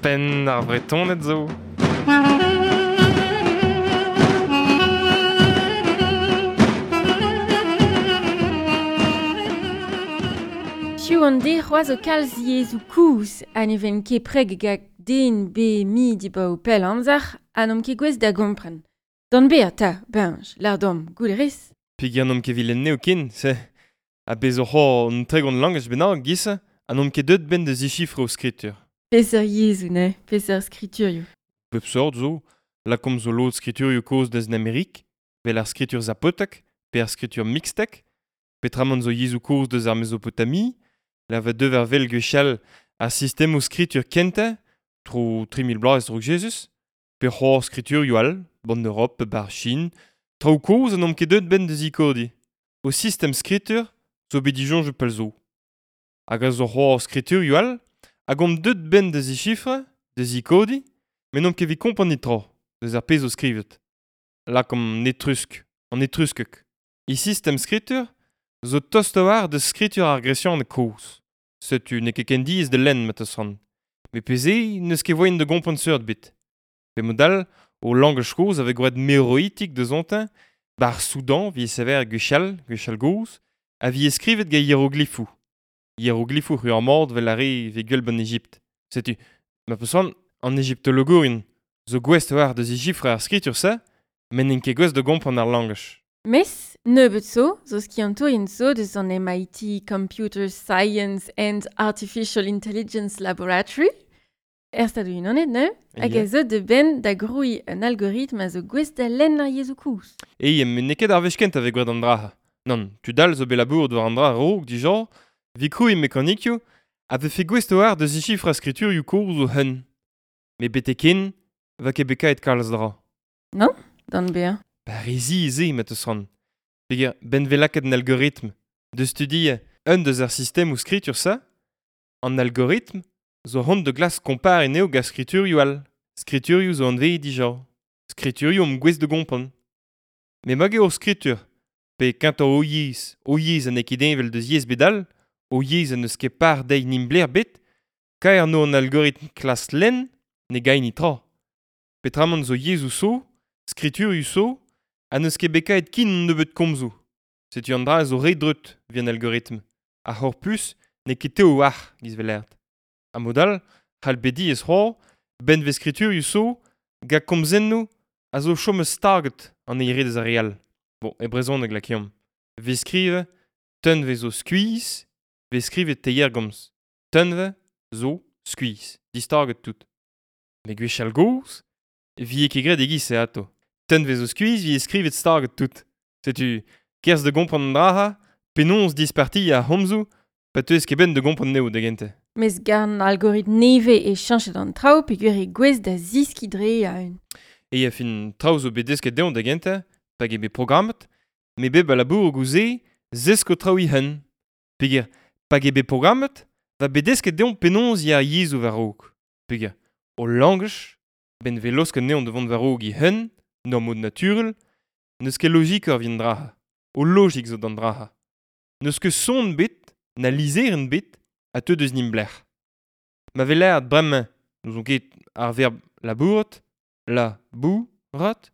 Penn ar Vretoned zo. Piv an de c'hoazh o kalz yezhoù kozh ha ne vent ket preg gant den be mi dibaoe pell amzer ha n'omp ket gouest da gompren. D'an bezañ 'ta, Beñj, lâr deomp, goût a rez? Peogwir n'omp ket evit lenn ken, se. Ha bez' oc'h un 30 langaj bennak 'giz ha n'omp ket deuet 'benn da zichifrañ o skritur. Peseurt yezhoù neuze, peseurt skriturioù? Pep sort zo. Lakaomp zo lod skriturioù kozh deus an Amerik, 'vel ar skritur zapotek pe ar skritur mixtek, petramant zo yezhoù kozh deus ar Mezopotami, la va deu war wel gwechall ar sistemoù skritur kentañ, tro 3000 bloaz a-raok Jezuz, pe c'hoazh skriturioù all, b'an Europ pe b'ar Chin, traoù kozh ha n'omp ket deuet 'benn da zikodiñ. O sistem skritur zo bet disoñjet pell zo. Hag a zo c'hoazh skriturioù all hag omp deuet 'benn da zichifrañ, da zikodiñ, met n'omp ket evit kompren netra deus ar pezh zo skrivet. Lakaomp an etrusk, an etruskeg. E sistem skritur zo tost a-walc'h da skritur ar gresianeg kozh. Setu n'eo ket ken diaes da lenn ma 'teus c'hoant. Met pe-se n'eus ket voaien da gompren seurt ebet. Pe mod all, o langaj kozh a vez gwraet meroitik deusontañ, 'ba ar Soudan 'vije saver gwechall, gwechall-gozh, a vije skrivet gant hieroglifoù. Hieroglifoù c'hwi ar mat 'vel ar re 'vez gwell 'ban Ejipt. Setu, ma 'peus c'hoant, an egiptologourien zo gouest a-walc'h da zichifrañ ar skritur-se, met n'int ket gouest da gompren ar langaj. Mes nebeut zo zo skiantourien zo deus an MIT Computer Science and Artificial Intelligence Laboratory er Stadoù-Unanet neuze, hag a zo da benn da grouiñ un algoritm a zo gouest da lenn ar yezhoù kozh. E, met n'eo ket ar wech kentañ 'vez gwraet an dra-se. Nann, tud all zo bet labouret war an dra a-raok dija, 'vit krouiñ mekanikioù a vefe gouest a-walc'h da zichifrañ skriturioù kozh o hun. Met betek-henn 'va ket bet kaeet kalz dra. Non, d'an bezañ. Ba re zi se ma 'teus c'hoant. Peogwir 'benn 'vez lakaet an algoritm da studiañ un deus ar sistemoù skritur-se, an algoritm zo c'hoant da glask kompariñ anezho gant skriturioù all. Skriturioù zo anvezet dija. Skriturioù omp gouest da gompren. Met mag eo hor skritur, pe kentoc'h ho yezh, ho yezh ha n'eo ket heñvel deus yezh bet all, ho yezh ha n'eus ket par dezhi nimp-lec'h ebet, kaer 'no an algoritm klask lenn, ne gay netra. Petramant zo yezhoù zo, skriturioù zo, ha n'eus ket bet kaeet ken un nebeud komzoù. Setu an dra zo re dreut evit an algoritm. Ar c'horpus n'eo ket tev a-walc'h, giz 'vel lâret. Ha mod all, c'hall bet diaes c'hoazh, benveg skriturioù zo, gant komzennoù a zo chomet staget an eil re deus ar re all. Bon, e brezhoneg lakaomp. 'Vez skrivet Tunvezh zo skuizh, 'vez skrivet teirgomz. Tunvezh zo skuizh, distaget tout. Met gwechall-gozh e vije ket graet e-giz-se atav. Tunvezh zo skuizh 'vije skrivet staget tout. Setu, kerzh da gompren an dra-se, penaos dispartiañ ar c'homzoù pa 'teus ket benn da gompren anezho da gentañ. Mes gant algoritm nevez e cheñchet an traoù peogwir eo gouest da zeskiñ dre e-un. E a fin traoù zo bet desket dezhañ da gentañ, pa eo bet programmet, met bep a labour goude zesko traoù e-hun. Peogwir pa eo bet programmet, va bet desket dezhañ penaos ya ar yezhoù war-raok. Peogwir o langaj, 'benn 'vez laosket anezhañ da vont war-raok e-hun, en ur mod naturel, n'eus ket logikoc'h evit an dra-se. O logik zo d'an dra-se. N'eus ket son ebet, na lizherenn ebet, ha teu deus nimp-lec'h. Ma vez lâret bremañ n'ouzon ket ar verb labourat, la-bou-rat,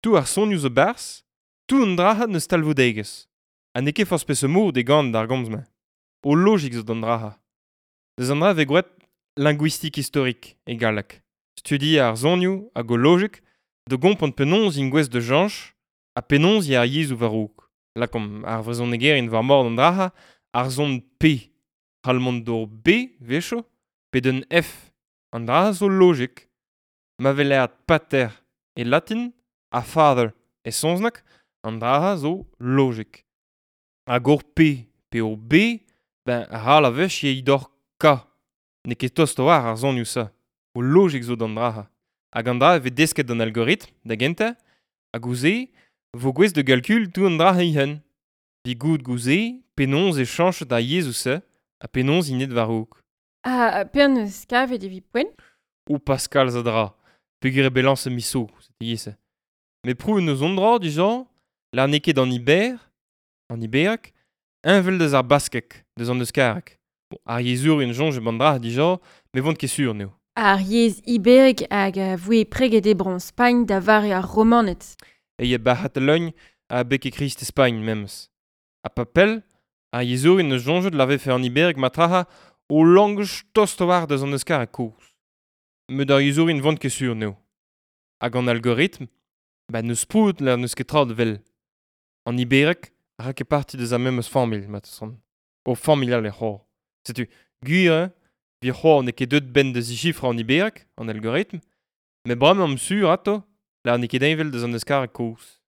tout ar sonioù zo 'barzh, tout an dra-se n'eus talvoudegezh. Ha n'eo ket forzh peseurt mod e gan d'ar gomz-mañ. O logik zo d'an dra-se. Deus an dra 'vez gwraet linguistique historique e galleg. Studiañ ar sonioù hag o logik da gompren penaos int gouest da cheñch ha penaos ya ar yezhoù war-raok. Lakaomp ar vrezhonegerien war mor an dra-se, ar son P c'hall mont d'ur B 'wechoù, pe d'un F. An dra-se zo logik. Ma vez lâret pater e latin ha father e saozneg, an dra-se zo logik. Hag ur P pe ur B, ben ral a wech eo d'ur K. N'eo ket tost a-walc'h ar sonioù-se. O logik zo d'an dra-se. Hag an dra e vez desket d'an algoritm, da gentañ, hag ouzh-se vo gouest da galkul tout an dra e-hun. Evit goût gouze penaos e cheñchet ar yezhoù-se ha penaos int aet war-raok. Ha penaos eus kavet evit poent? O Pascal a dra, peogwir eo bet lañset miz zo, setu ivez. Met prouet 'neus hon dra dija, lâr n'eo ket an Iber, an Ibereg, heñvel deus ar baskeg, deus an euskareg. Bon, ar yezhourien soñj eo an dra dija, met 'vont ket sur anezho. Ar yezh iberek hag a voe preget e bro Spagn da vare ar Romaned. E ba C'hatalogn ha bek e Krist e Spagn memes. Ha pa pell, ar yezhourien neus soñjet la vefe an iberek matraha o langaj tost war deus an euskareg kozh. Met ar yezhourien vont ket sur n'eo. Hag an algoritm, ba neus prout la neus ket tra da vel. An iberek a ra ket parti deus ar memes familh, mat son. O familh all e c'hor. Setu, gwir eo, vi c'hor n'eo ket deut ben da zichifrañ an iberek, an algoritm, met bremañ am sur ato, la n'eo ket heñvel deus an euskareg kozh.